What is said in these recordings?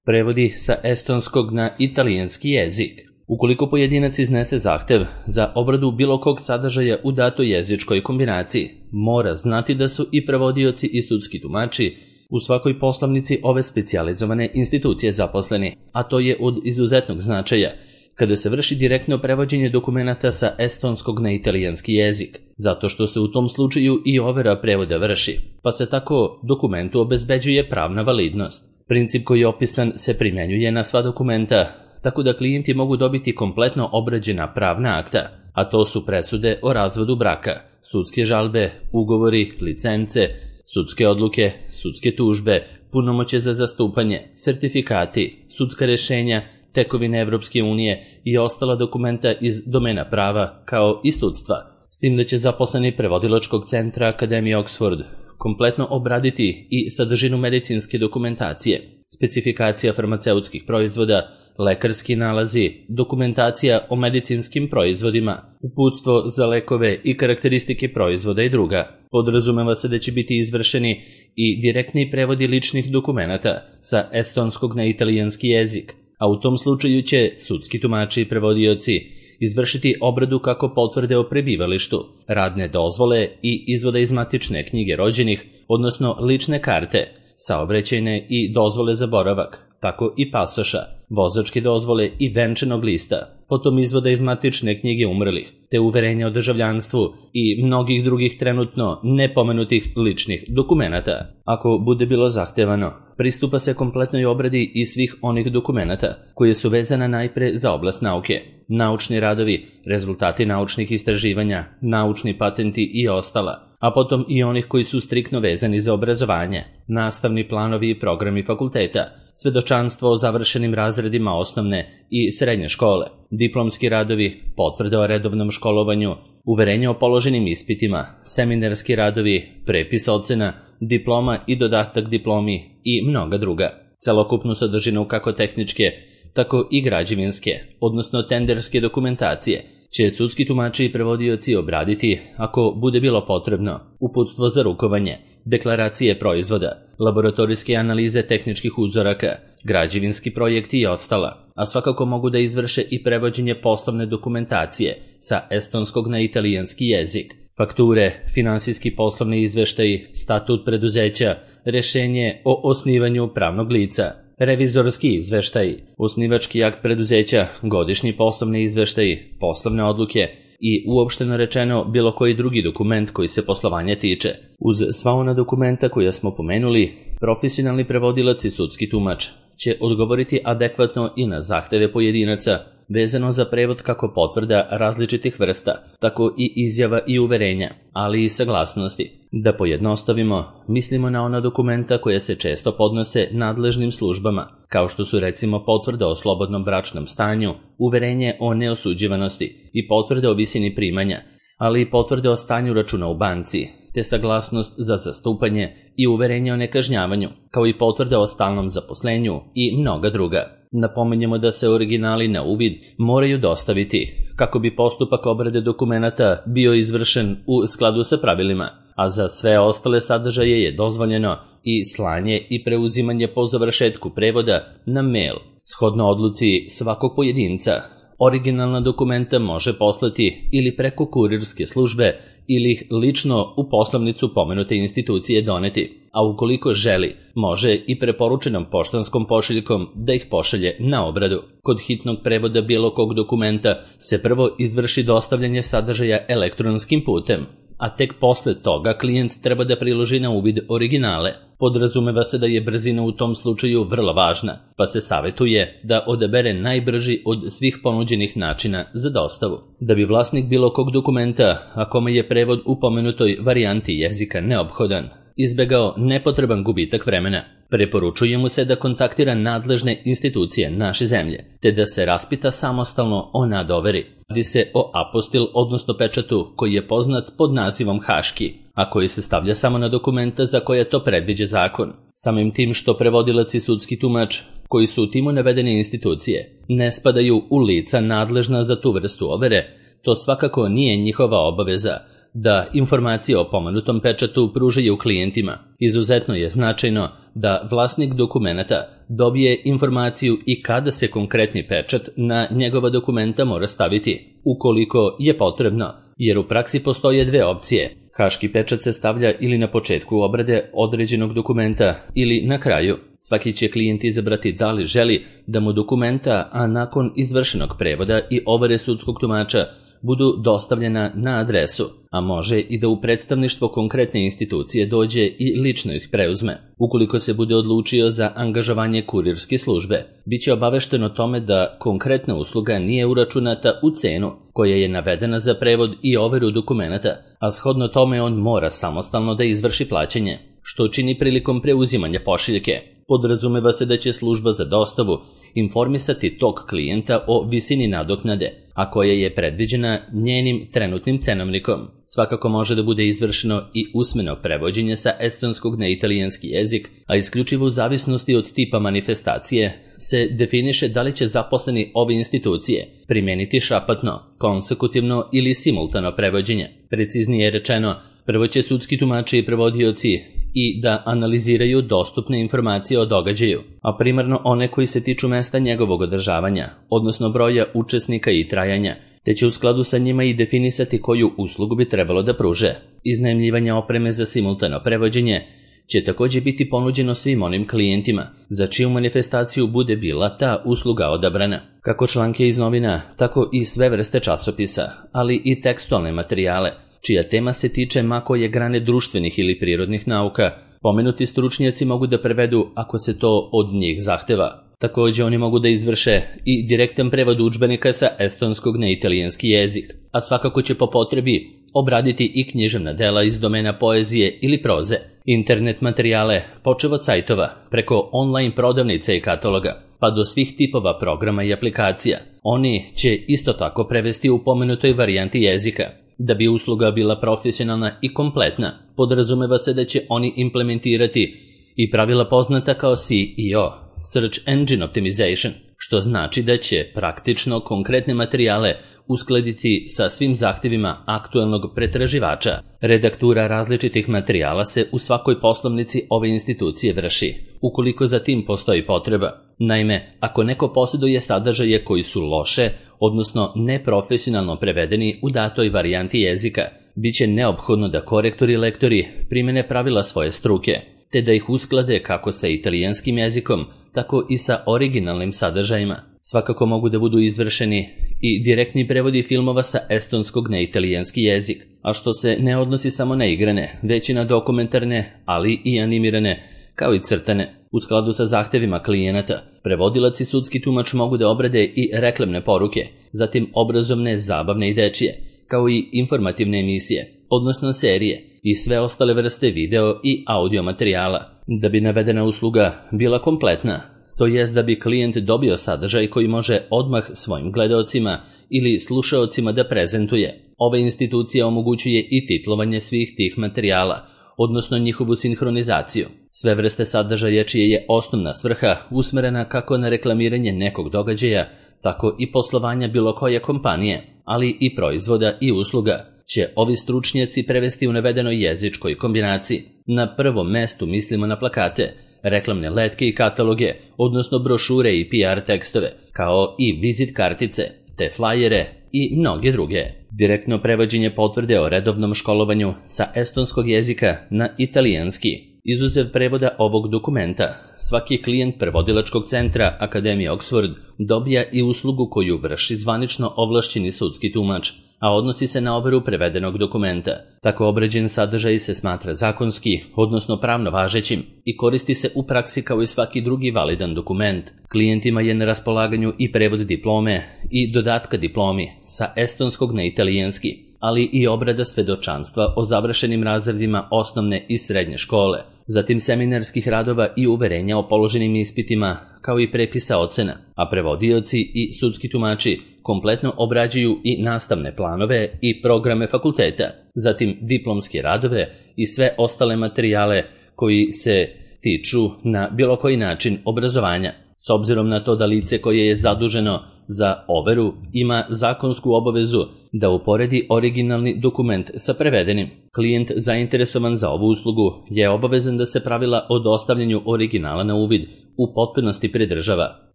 Prevodi sa estonskog na italijanski jezik. Ukoliko pojedinac iznese zahtev za obradu bilo kog sadržaja u datoj jezičkoj kombinaciji, mora znati da su i prevodioci i sudski tumači u svakoj poslovnici ove specijalizovane institucije zaposleni, a to je od izuzetnog značaja kada se vrši direktno prevođenje dokumenata sa estonskog na italijanski jezik, zato što se u tom slučaju i overa prevoda vrši, pa se tako dokumentu obezbeđuje pravna validnost. Princip koji je opisan se primjenjuje na sva dokumenta, tako da klijenti mogu dobiti kompletno obrađena pravna akta, a to su presude o razvodu braka, sudske žalbe, ugovori, licence, sudske odluke, sudske tužbe, punomoćje za zastupanje, sertifikati, sudska rešenja, tekovine Evropske unije i ostala dokumenta iz domena prava kao i sudstva. S tim da će zaposleni prevodilačkog centra Akademije Oxford kompletno obraditi i sadržinu medicinske dokumentacije, specifikacija farmaceutskih proizvoda, lekarski nalazi, dokumentacija o medicinskim proizvodima, uputstvo za lekove i karakteristike proizvoda i druga. Podrazumeva se da će biti izvršeni i direktni prevodi ličnih dokumenata sa estonskog na italijanski jezik, a u tom slučaju će sudski tumači i prevodioci izvršiti obradu kako potvrde o prebivalištu, radne dozvole i izvoda iz matične knjige rođenih, odnosno lične karte, saobraćajne i dozvole za boravak, tako i pasoša, vozačke dozvole i venčanog lista, potom izvoda iz matične knjige umrlih, te uverenja o državljanstvu i mnogih drugih trenutno nepomenutih ličnih dokumenata. Ako bude bilo zahtevano, pristupa se kompletnoj obradi i svih onih dokumenata koje su vezana najpre za oblast nauke, naučni radovi, rezultati naučnih istraživanja, naučni patenti i ostala, a potom i onih koji su striktno vezani za obrazovanje, nastavni planovi i programi fakulteta, svedočanstvo o završenim razredima osnovne i srednje škole, diplomski radovi, potvrde o redovnom školovanju, uverenje o položenim ispitima, seminarski radovi, prepis ocena, diploma i dodatak diplomi i mnoga druga. Celokupnu sadržinu kako tehničke, tako i građevinske, odnosno tenderske dokumentacije, će sudski tumači i prevodioci obraditi ako bude bilo potrebno, uputstvo za rukovanje, deklaracije proizvoda, laboratorijske analize tehničkih uzoraka, građevinski projekti i ostala, a svakako mogu da izvrše i prevođenje poslovne dokumentacije sa estonskog na italijanski jezik, fakture, finansijski poslovni izveštaji, statut preduzeća, rešenje o osnivanju pravnog lica, revizorski izveštaj, osnivački akt preduzeća, godišnji poslovni izveštaj, poslovne odluke i uopšteno rečeno bilo koji drugi dokument koji se poslovanja tiče. Uz sva ona dokumenta koja smo pomenuli, profesionalni prevodilac i sudski tumač će odgovoriti adekvatno i na zahteve pojedinaca vezano za prevod kako potvrda različitih vrsta, tako i izjava i uverenja, ali i saglasnosti. Da pojednostavimo, mislimo na ona dokumenta koja se često podnose nadležnim službama, kao što su recimo potvrda o slobodnom bračnom stanju, uverenje o neosuđivanosti i potvrde o visini primanja, ali i potvrde o stanju računa u banci, te saglasnost za zastupanje i uverenje o nekažnjavanju, kao i potvrde o stalnom zaposlenju i mnoga druga. Napominjemo da se originali na uvid moraju dostaviti kako bi postupak obrade dokumenata bio izvršen u skladu sa pravilima, a za sve ostale sadržaje je dozvoljeno i slanje i preuzimanje po završetku prevoda na mail. Shodno odluci svakog pojedinca, originalna dokumenta može poslati ili preko kurirske službe ili ih lično u poslovnicu pomenute institucije doneti, a ukoliko želi, može i preporučenom poštanskom pošiljkom da ih pošalje na obradu. Kod hitnog prevoda bilo kog dokumenta se prvo izvrši dostavljanje sadržaja elektronskim putem, a tek posle toga klijent treba da priloži na uvid originale. Podrazumeva se da je brzina u tom slučaju vrlo važna, pa se savetuje da odabere najbrži od svih ponuđenih načina za dostavu. Da bi vlasnik bilo kog dokumenta, a kome je prevod u pomenutoj varijanti jezika neophodan, izbegao nepotreban gubitak vremena, preporučuje mu se da kontaktira nadležne institucije naše zemlje, te da se raspita samostalno o nadoveri. Radi se o apostil, odnosno pečatu, koji je poznat pod nazivom haški, a koji se stavlja samo na dokumenta za koje to predviđa zakon. Samim tim što prevodilac i sudski tumač, koji su u timu navedene institucije, ne spadaju u lica nadležna za tu vrstu overe, to svakako nije njihova obaveza da informacije o pomenutom pečatu pružaju klijentima. Izuzetno je značajno da vlasnik dokumenata dobije informaciju i kada se konkretni pečat na njegova dokumenta mora staviti, ukoliko je potrebno, jer u praksi postoje dve opcije. Haški pečat se stavlja ili na početku obrade određenog dokumenta ili na kraju. Svaki će klijent izabrati da li želi da mu dokumenta, a nakon izvršenog prevoda i overe sudskog tumača, budu dostavljena na adresu, a može i da u predstavništvo konkretne institucije dođe i lično ih preuzme. Ukoliko se bude odlučio za angažovanje kurirske službe, bit će obavešten o tome da konkretna usluga nije uračunata u cenu koja je navedena za prevod i overu dokumenata, a shodno tome on mora samostalno da izvrši plaćanje, što čini prilikom preuzimanja pošiljke. Podrazumeva se da će služba za dostavu informisati tog klijenta o visini nadoknade, a koja je predviđena njenim trenutnim cenovnikom. Svakako može da bude izvršeno i usmeno prevođenje sa estonskog na italijanski jezik, a isključivo u zavisnosti od tipa manifestacije se definiše da li će zaposleni ove institucije primeniti šapatno, konsekutivno ili simultano prevođenje. Preciznije rečeno, prvo će sudski tumači i prevodioci i da analiziraju dostupne informacije o događaju, a primarno one koji se tiču mesta njegovog održavanja, odnosno broja učesnika i trajanja, te će u skladu sa njima i definisati koju uslugu bi trebalo da pruže. Iznajmljivanje opreme za simultano prevođenje će također biti ponuđeno svim onim klijentima za čiju manifestaciju bude bila ta usluga odabrana. Kako članke iz novina, tako i sve vrste časopisa, ali i tekstualne materijale, čija tema se tiče ma koje grane društvenih ili prirodnih nauka, pomenuti stručnjaci mogu da prevedu ako se to od njih zahteva. Također oni mogu da izvrše i direktan prevod udžbenika sa estonskog na italijanski jezik, a svakako će po potrebi obraditi i književna dela iz domena poezije ili proze, internet materijale, počev od sajtova, preko online prodavnica i kataloga, pa do svih tipova programa i aplikacija. Oni će isto tako prevesti u pomenutoj varijanti jezika. Da bi usluga bila profesionalna i kompletna, podrazumeva se da će oni implementirati i pravila poznata kao SEO, Search Engine Optimization, što znači da će praktično konkretne materijale uskladiti sa svim zahtjevima aktuelnog pretraživača. Redaktura različitih materijala se u svakoj poslovnici ove institucije vrši, ukoliko za tim postoji potreba. Naime, ako neko posjeduje sadržaje koji su loše, odnosno neprofesionalno prevedeni u datoj varijanti jezika, bit će neophodno da korektori i lektori primene pravila svoje struke, te da ih usklade kako sa italijanskim jezikom, tako i sa originalnim sadržajima. Svakako mogu da budu izvršeni i direktni prevodi filmova sa estonskog na italijanski jezik, a što se ne odnosi samo na igrane, već i na dokumentarne, ali i animirane, kao i crtane. U skladu sa zahtevima klijenata, prevodilac i sudski tumač mogu da obrade i reklamne poruke, zatim obrazovne, zabavne i dečije, kao i informativne emisije, odnosno serije i sve ostale vrste video i audio materijala. Da bi navedena usluga bila kompletna, to jest da bi klijent dobio sadržaj koji može odmah svojim gledaocima ili slušaocima da prezentuje, ova institucija omogućuje i titlovanje svih tih materijala, odnosno njihovu sinhronizaciju. Sve vrste sadržaja čije je osnovna svrha usmerena kako na reklamiranje nekog događaja, tako i poslovanja bilo koje kompanije, ali i proizvoda i usluga, će ovi stručnjaci prevesti u navedenoj jezičkoj kombinaciji. Na prvom mestu mislimo na plakate, reklamne letke i kataloge, odnosno brošure i PR tekstove, kao i vizit kartice, te flajere i mnoge druge. Direktno prevođenje potvrde o redovnom školovanju sa estonskog jezika na italijanski. Izuzev prevoda ovog dokumenta, svaki klijent prevodilačkog centra Akademije Oxford dobija i uslugu koju vrši zvanično ovlašćeni sudski tumač, a odnosi se na overu prevedenog dokumenta. Tako obrađen sadržaj se smatra zakonski, odnosno pravno važećim, i koristi se u praksi kao i svaki drugi validan dokument. Klijentima je na raspolaganju i prevod diplome i dodatka diplomi sa estonskog na italijanski, ali i obrada svedočanstva o završenim razredima osnovne i srednje škole, zatim seminarskih radova i uverenja o položenim ispitima, kao i prepisa ocena, a prevodioci i sudski tumači kompletno obrađuju i nastavne planove i programe fakulteta, zatim diplomske radove i sve ostale materijale koji se tiču na bilo koji način obrazovanja. S obzirom na to da lice koje je zaduženo za overu ima zakonsku obavezu da uporedi originalni dokument sa prevedenim. Klijent zainteresovan za ovu uslugu je obavezan da se pravila o dostavljanju originala na uvid u potpunosti pridržava.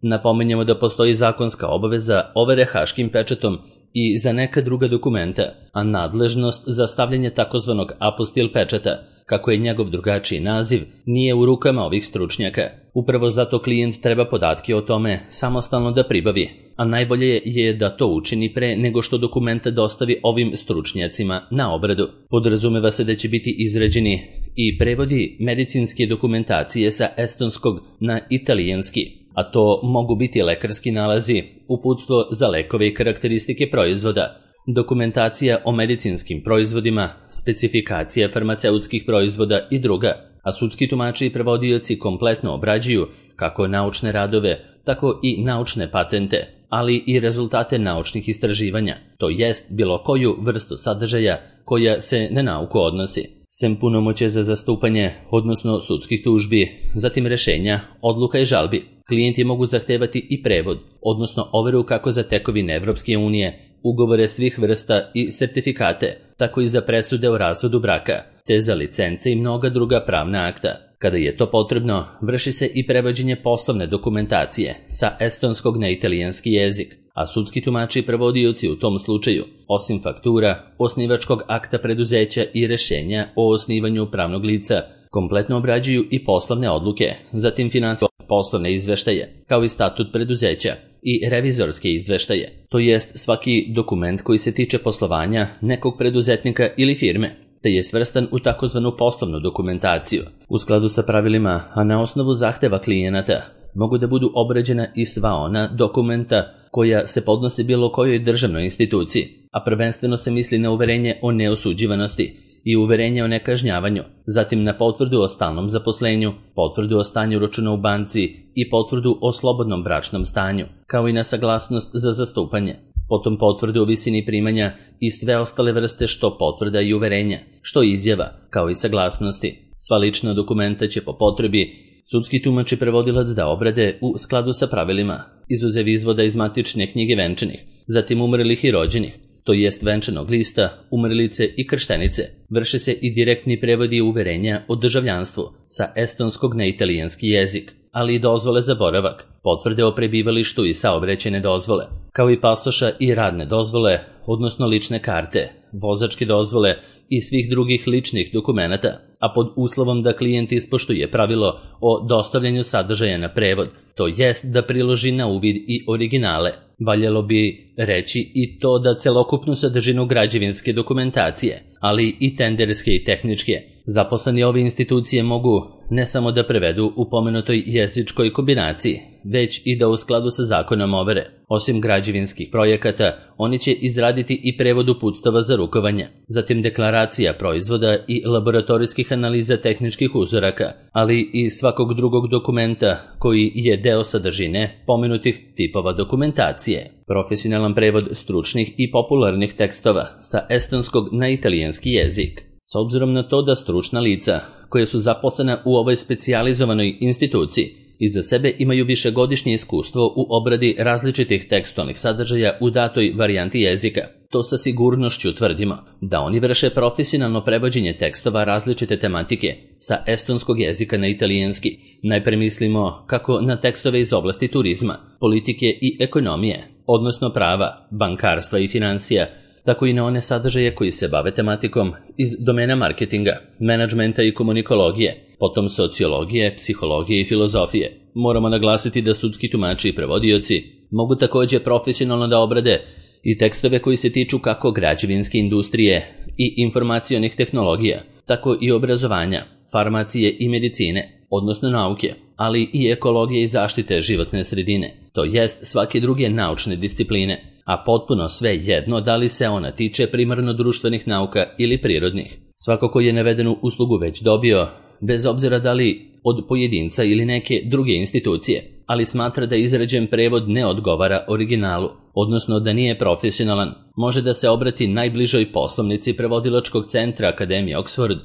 Napominjemo da postoji zakonska obaveza overe haškim pečatom i za neka druga dokumenta, a nadležnost za stavljanje takozvanog apostil pečata, kako je njegov drugačiji naziv, nije u rukama ovih stručnjaka. Upravo zato klijent treba podatke o tome samostalno da pribavi, a najbolje je da to učini pre nego što dokumenta dostavi ovim stručnjacima na obradu. Podrazumeva se da će biti izrađeni i prevodi medicinske dokumentacije sa estonskog na italijanski, a to mogu biti lekarski nalazi, uputstvo za lekove i karakteristike proizvoda, dokumentacija o medicinskim proizvodima, specifikacija farmaceutskih proizvoda i druga, a sudski tumači i prevodioci kompletno obrađuju kako naučne radove, tako i naučne patente, ali i rezultate naučnih istraživanja, to jest bilo koju vrstu sadržaja koja se na nauku odnosi. Sem punomoće za zastupanje, odnosno sudskih tužbi, zatim rešenja, odluka i žalbi. Klijenti mogu zahtevati i prevod, odnosno overu kako za tekovine Evropske unije, ugovore svih vrsta i sertifikate, tako i za presude o razvodu braka, te za licence i mnoga druga pravna akta. Kada je to potrebno, vrši se i prevođenje poslovne dokumentacije sa estonskog na italijanski jezik, a sudski tumači i prevodioci u tom slučaju, osim faktura, osnivačkog akta preduzeća i rešenja o osnivanju pravnog lica, kompletno obrađuju i poslovne odluke, zatim finansijske poslovne izveštaje, kao i statut preduzeća i revizorske izveštaje, to jest svaki dokument koji se tiče poslovanja nekog preduzetnika ili firme, te je svrstan u takozvanu poslovnu dokumentaciju. U skladu sa pravilima, a na osnovu zahteva klijenata, mogu da budu obrađena i sva ona dokumenta koja se podnose bilo kojoj državnoj instituciji, a prvenstveno se misli na uverenje o neosuđivanosti i uverenje o nekažnjavanju, zatim na potvrdu o stalnom zaposlenju, potvrdu o stanju računa u banci i potvrdu o slobodnom bračnom stanju, kao i na saglasnost za zastupanje, potom potvrdu o visini primanja i sve ostale vrste što potvrda i uverenja, što izjava, kao i saglasnosti. Sva lična dokumenta će po potrebi sudski tumač i prevodilac da obrade u skladu sa pravilima, izuzev izvoda iz matične knjige venčanih, zatim umrlih i rođenih, to jest venčanog lista, umrlice i krštenice. Vrše se i direktni prevodi uverenja o državljanstvu sa estonskog na italijanski jezik, ali i dozvole za boravak, potvrde o prebivalištu i saobraćajne dozvole, kao i pasoša i radne dozvole, odnosno lične karte, vozačke dozvole i svih drugih ličnih dokumenata, a pod uslovom da klijent ispoštuje pravilo o dostavljanju sadržaja na prevod, to jest da priloži na uvid i originale. Valjalo bi reći i to da celokupnu sadržinu građevinske dokumentacije, ali i tenderske i tehničke, zaposleni ove institucije mogu ne samo da prevedu u pomenutoj jezičkoj kombinaciji, već i da u skladu sa zakonom overe. Osim građevinskih projekata, oni će izraditi i prevod uputstava za rukovanje, zatim deklaracija proizvoda i laboratorijskih analiza tehničkih uzoraka, ali i svakog drugog dokumenta koji je deo sadržine pomenutih tipova dokumentacije. Profesionalan prevod stručnih i popularnih tekstova sa estonskog na italijanski jezik. S obzirom na to da stručna lica, koje su zaposlena u ovoj specijalizovanoj instituciji, iza sebe imaju višegodišnje iskustvo u obradi različitih tekstualnih sadržaja u datoj varijanti jezika, to sa sigurnošću tvrdimo da oni vrše profesionalno prevođenje tekstova različite tematike sa estonskog jezika na italijanski. Najpre mislimo kako na tekstove iz oblasti turizma, politike i ekonomije, odnosno prava, bankarstva i financija, tako i na one sadržaje koji se bave tematikom iz domena marketinga, menadžmenta i komunikologije, potom sociologije, psihologije i filozofije. Moramo naglasiti da sudski tumači i prevodioci mogu također profesionalno da obrade i tekstove koji se tiču kako građevinske industrije i informacionih tehnologija, tako i obrazovanja, farmacije i medicine, odnosno nauke, ali i ekologije i zaštite životne sredine, to jest svake druge naučne discipline, a potpuno sve jedno da li se ona tiče primarno društvenih nauka ili prirodnih. Svako ko je navedenu uslugu već dobio, bez obzira da li od pojedinca ili neke druge institucije, ali smatra da izrađen prevod ne odgovara originalu, odnosno da nije profesionalan, može da se obrati najbližoj poslovnici prevodilačkog centra Akademije Oxford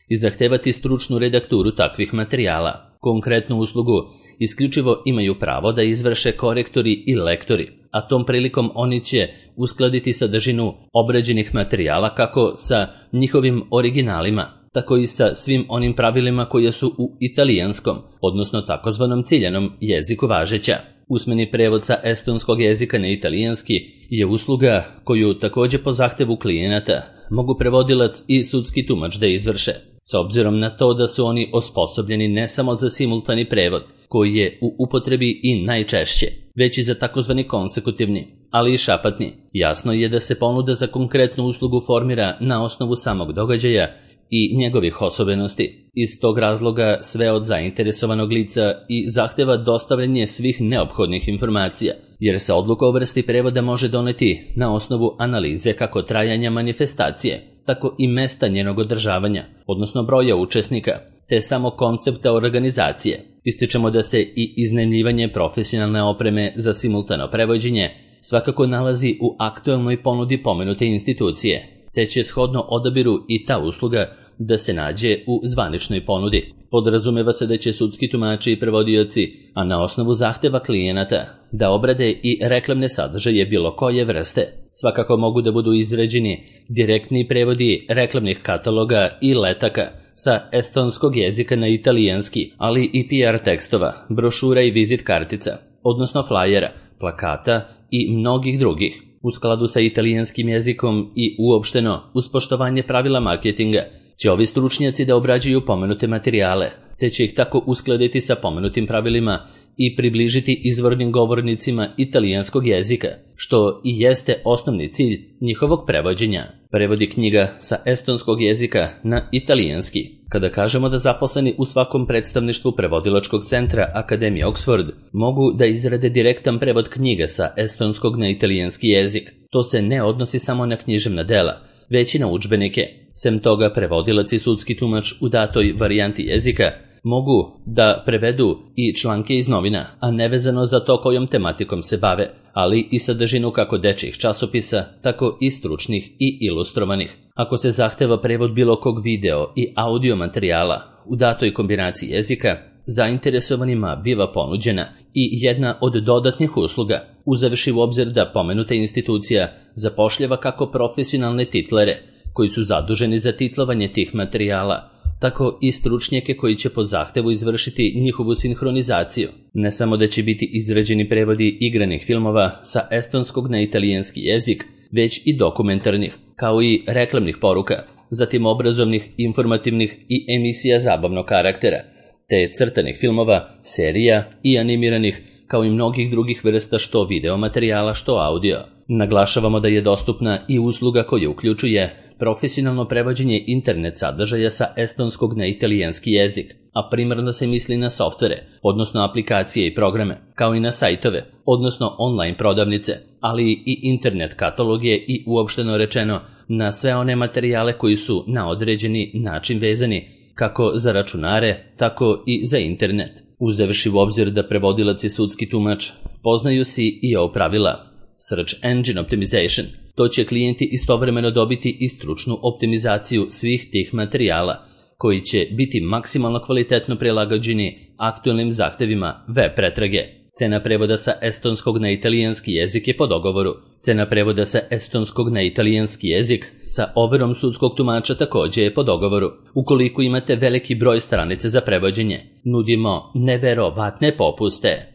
i zahtevati stručnu redakturu takvih materijala. Konkretnu uslugu isključivo imaju pravo da izvrše korektori i lektori, a tom prilikom oni će uskladiti sadržinu obrađenih materijala kako sa njihovim originalima, tako i sa svim onim pravilima koje su u italijanskom, odnosno takozvanom ciljanom jeziku važeća. Usmeni prevod sa estonskog jezika na italijanski je usluga koju također po zahtevu klijenata mogu prevodilac i sudski tumač da izvrše, s obzirom na to da su oni osposobljeni ne samo za simultani prevod, koji je u upotrebi i najčešće, već i za takozvani konsekutivni, ali i šapatni. Jasno je da se ponuda za konkretnu uslugu formira na osnovu samog događaja i njegovih osobenosti. Iz tog razloga sve od zainteresovanog lica i zahteva dostavljanje svih neophodnih informacija, jer se odluka o vrsti prevoda može doneti na osnovu analize kako trajanja manifestacije, tako i mesta njenog održavanja, odnosno broja učesnika, te samo koncepta organizacije. Ističemo da se i iznajmljivanje profesionalne opreme za simultano prevođenje svakako nalazi u aktuelnoj ponudi pomenute institucije, te će shodno odabiru i ta usluga da se nađe u zvaničnoj ponudi. Podrazumeva se da će sudski tumači i prevodioci, a na osnovu zahteva klijenata, da obrade i reklamne sadržaje bilo koje vrste. Svakako mogu da budu izrađeni direktni prevodi reklamnih kataloga i letaka sa estonskog jezika na italijanski, ali i PR tekstova, brošura i vizit kartica, odnosno flajera, plakata i mnogih drugih. U skladu sa italijanskim jezikom i uopšteno uz poštovanje pravila marketinga će ovi stručnjaci da obrađuju pomenute materijale, te će ih tako uskladiti sa pomenutim pravilima i približiti izvornim govornicima italijanskog jezika, što i jeste osnovni cilj njihovog prevođenja. Prevodi knjiga sa estonskog jezika na italijanski. Kada kažemo da zaposleni u svakom predstavništvu prevodilačkog centra Akademije Oxford mogu da izrade direktan prevod knjiga sa estonskog na italijanski jezik, to se ne odnosi samo na književna dela, već i na udžbenike. Sem toga, prevodilac i sudski tumač u datoj varijanti jezika mogu da prevedu i članke iz novina, a nevezano za to kojom tematikom se bave, ali i sadržinu kako dečjih časopisa, tako i stručnih i ilustrovanih. Ako se zahteva prevod bilo kog video i audio materijala u datoj kombinaciji jezika, zainteresovanima biva ponuđena i jedna od dodatnih usluga, uzevši u obzir da pomenuta institucija zapošljava kako profesionalne titlere, koji su zaduženi za titlovanje tih materijala, tako i stručnjake koji će po zahtevu izvršiti njihovu sinhronizaciju. Ne samo da će biti izrađeni prevodi igranih filmova sa estonskog na italijanski jezik, već i dokumentarnih, kao i reklamnih poruka, zatim obrazovnih, informativnih i emisija zabavnog karaktera, te crtanih filmova, serija i animiranih, kao i mnogih drugih vrsta što video materijala, što audio. Naglašavamo da je dostupna i usluga koja uključuje profesionalno prevođenje internet sadržaja sa estonskog na italijanski jezik, a primarno se misli na softvere, odnosno aplikacije i programe, kao i na sajtove, odnosno online prodavnice, ali i internet kataloge i uopšteno rečeno na sve one materijale koji su na određeni način vezani kako za računare, tako i za internet. Uzevši u obzir da prevodilac i sudski tumač poznaju si i ovo pravila Search Engine Optimization, to će klijenti istovremeno dobiti i stručnu optimizaciju svih tih materijala, koji će biti maksimalno kvalitetno prilagođeni aktualnim zahtevima web pretrage. Cena prevoda sa estonskog na italijanski jezik je po dogovoru. Cena prevoda sa estonskog na italijanski jezik sa overom sudskog tumača također je po dogovoru. Ukoliko imate veliki broj stranice za prevođenje, nudimo neverovatne popuste.